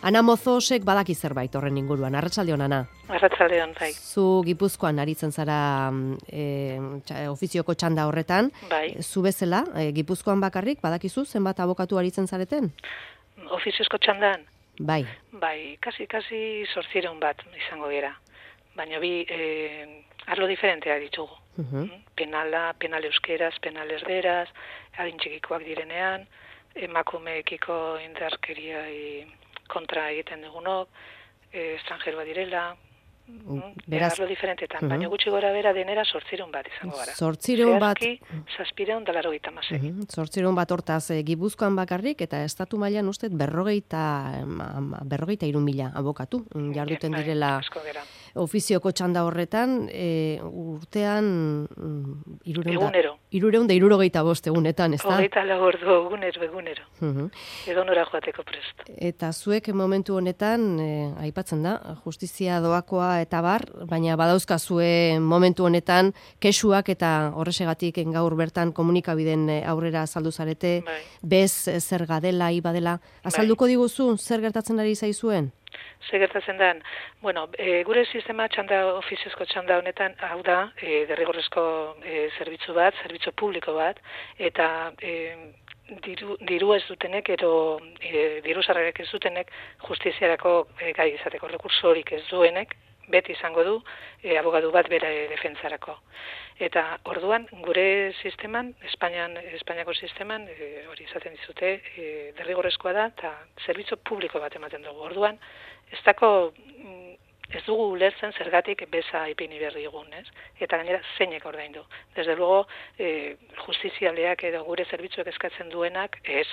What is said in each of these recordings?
Ana Mozosek badaki zerbait horren inguruan. Arratsaldeon, Ana. Arratsaldeon, bai. Zu Gipuzkoan aritzen zara ofizioko txanda horretan. Bai. Zu bezala, Gipuzkoan bakarrik, badakizu zenbat abokatu aritzen zareten? Ofiziozko txandan? Bai. Bai, kasi 800 bat izango dira. Baina bi arlo diferenteak ditugu. Penal euskeraz, penal erderaz, adin txikikoak direnean, emakumeekiko indarkeria kontra egiten dugunok, estrangeroa direla, Beraz, arlo diferentetan, baina gutxi gora bera denera 800 bat izango gara. 800 bat. Zehazki 786. 800 bat hortaz Gipuzkoan bakarrik, eta estatu mailan ustez 53.000 abokatu jarduten direla ofizioko txanda horretan, urtean 365 egunetan, ez da? 24 ordu egunero. Edo nora joateko prest. Eta zuek momentu honetan, aipatzen da, justizia doakoa eta bar, baina badauzkazue momentu honetan kexuak eta horresegatik gaur bertan komunikabiden aurrera azaldu zarete, bez zerga dela, iba dela. Azalduko diguzu, zer gertatzen ari zaizuen? Zer gertatzen den? Bueno, gure sistema ofiziozko txanda honetan, hau da, derrigorrezko zerbitzu publiko bat, eta diru ez dutenek, edo diru sarrerak ez dutenek, justiziarako gai izateko rekurso horik ez duenek, beti izango du abogatu bat bere defentsarako. Eta orduan gure sisteman, Espainiako sisteman, hori izaten dizute, derrigorrezkoa da eta zerbitzu publiko bat ematen dugu. Orduan ez dugu ulertzen zergatik beza ipini berri egun, ez? Eta gainera zeinek ordaindu. Desde luego, justizialeak edo gure zerbitzuek eskatzen duenak ez.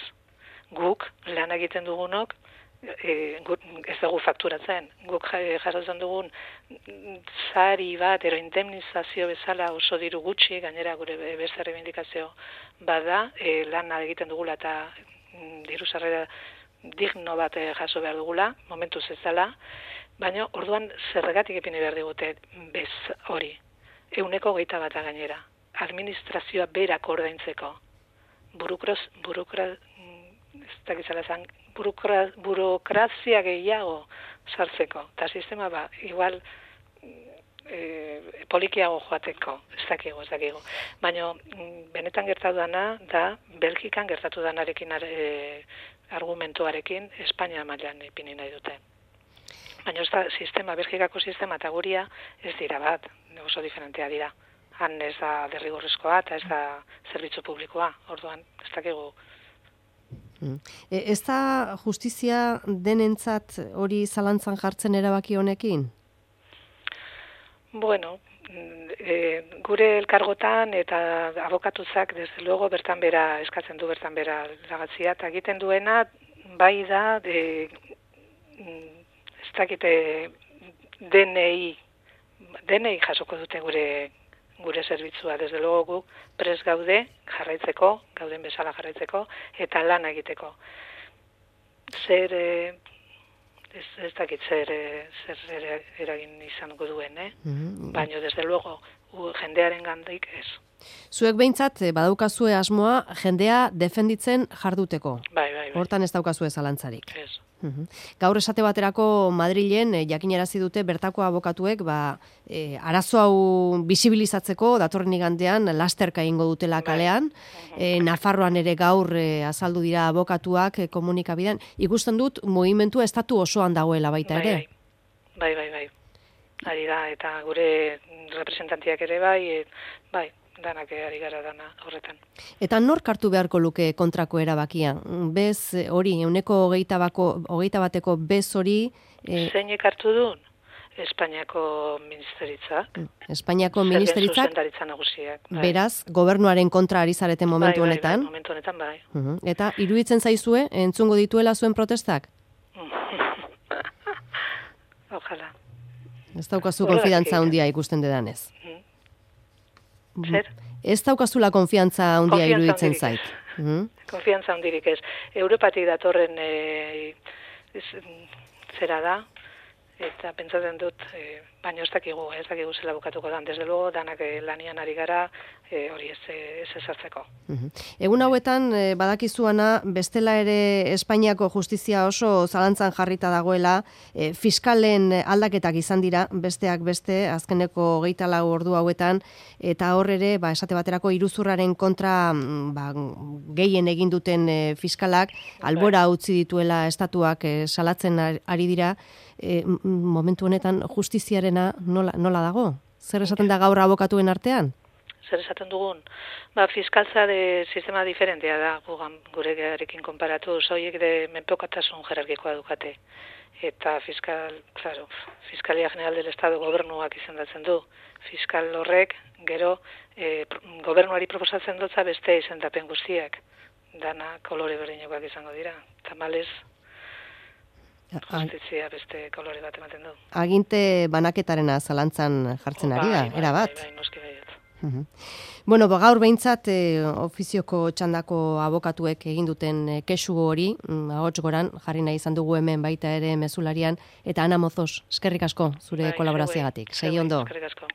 Guk lan egiten dugunok ez dugu fakturatzen. Guk jasotzen dugun sari bat, ero indemnizazio bezala oso diru gutxi, gainera gure beste reivindikazio bada, lan egiten dugula eta diru sarrera digno bat jaso behar dugula, momentuz ez dela, baina orduan zergatik ipini behar digute bez hori. 121 gainera. Administrazioa berak ordaintzeko. Burokrazia gehiago sartzeko. Eta sistema igual polikiago joateko, ez dakigu. Baina benetan gertatu dana da, Belgikan gertatu danarekin argumentuarekin Espainia mailan ipini nahi dute. Baina ez da Belgikako sistema eta guria ez dira bat, oso diferentea dira. Han ez da derrigorrezkoa eta ez da zerbitzu publikoa, orduan ez dakigu. Ez da justizia denentzat hori zalantzan jartzen erabaki honekin? Bueno, gure elkargotan eta abokatuzak, desde luego, bertan bera eskatzen du bertan bera lagatzia, eta egiten duena, bai da, ez dakite DNI jasoko dute gure zerbitzua, desde luego guk prest gaude jarraitzeko, gauden bezala jarraitzeko, eta lan egiteko. Ez dakit zer eragin izango duen, baina desde luego jendearen gandik ez. Zuek behintzat badaukazue asmoa jendea defenditzen jarduteko. Bai. Hortan ez daukazue zalantzarik. Ez. Gaur esate baterako Madrilen jakinarazi dute bertako abokatuek arazo hau bisibilizatzeko datorren igandean lasterka egingo dutela kalean. Nafarroan ere gaur azaldu dira abokatuak komunikabidean. Ikusten dut mugimendu estatu osoan dagoela baita ere. Bai. Ari da, eta gure representantiak ere bai, danak ari gara dana horretan. Eta nork hartu beharko luke kontrako erabakia? Bez hori, 121 bez hori... Zeinek hartu duen? Espainiako ministeritzak. Espainiako ministeritzak? Zuzendaritza nagusiak. Beraz, gobernuaren kontra ari zareten momentu honetan? Bai, momentu honetan bai. Eta iruditzen zaizue, entzungo dituela zuen protestak? Ojalá. Ez daukazu konfidantza handia ikusten dedanez. Zer? Ez daukazula konfiantza handia iruditzen zait. Konfiantza handirik ez. Europatik datorren zera da, eta pentsatzen dut, baina ez dakigu zela bukatuko dan, desde luego, danak lanian ari gara, hori ez ezartzeko. Egun hauetan, badakizuana, bestela ere Espainiako justizia oso zalantzan jarrita dagoela, fiskalen aldaketak izan dira, besteak beste, azkeneko 24 ordu hauetan, eta hor ere, esate baterako iruzurraren kontra gehien egin duten fiskalak, albora utzi dituela estatuak salatzen ari dira, momentu honetan justiziarena nola dago? Zer esaten da gaur abokatuen artean? Zer esaten dugun? Fiskaltza de sistema diferentea da, guregarekin konparatu, zoiek de menpekatasun jerarkikoa dukate. Eta Fiskalia General del Estado gobernuak izendatzen du. Fiskal horrek, gero, gobernuari proposatzen dutza beste izendapen guztiak. Dana kolore berdinekoak izango dira. Tamalez, justizia beste kolore bat ematen du. Aginte banaketarena zalantzan jartzen ari da, erabat. Bai, noski baiet. Bueno, gaur behintzat ofizioko txandako abokatuek egin duten kexu hori, ahots goran, jarri nahi izan dugu hemen baita ere mezularian, eta Ana Mozos, eskerrik asko zure kolaborazioagatik. Segi ondo. Eskerrik asko.